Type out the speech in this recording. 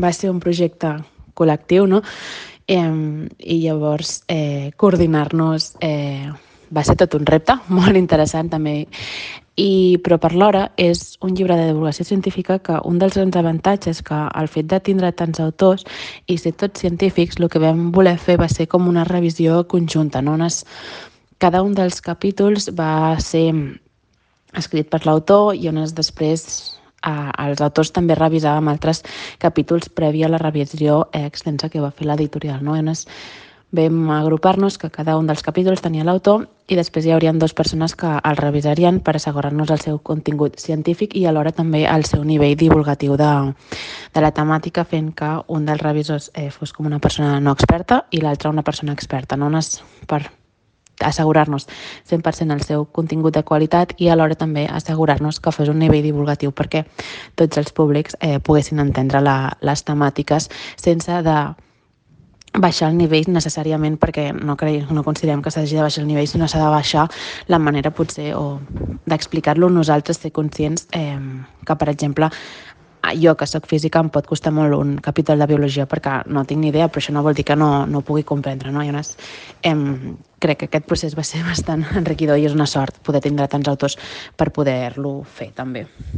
va ser un projecte col·lectiu, no? I llavors coordinar-nos va ser tot un repte, molt interessant també. Però per l'hora és un llibre de divulgació científica que un dels grans avantatges que el fet de tindre tants autors i ser tots científics, el que vam voler fer va ser com una revisió conjunta, no? Cada un dels capítols va ser escrit per l'autor i on després els autors també revisàvem altres capítols previ a la revisió extensa que va fer l'editorial, no? Vam agrupar-nos que cada un dels capítols tenia l'autor i després hi haurien 2 persones que el revisarien per assegurar-nos el seu contingut científic i alhora també el seu nivell divulgatiu de la temàtica, fent que un dels revisors fos com una persona no experta i l'altra una persona experta, no? Per assegurar-nos 100% el seu contingut de qualitat i alhora també assegurar-nos que fos un nivell divulgatiu perquè tots els públics poguessin entendre les temàtiques sense de baixar el nivell necessàriament, perquè no considerem que s'hagi de baixar el nivell, sinó s'ha de baixar la manera potser o d'explicar-lo nosaltres, ser conscients que, per exemple, jo que sóc física em pot costar molt un capítol de biologia perquè no tinc ni idea, però això no vol dir que no ho pugui comprendre, no? Crec que aquest procés va ser bastant enriquidor i és una sort poder tindre tants autors per poder-lo fer també.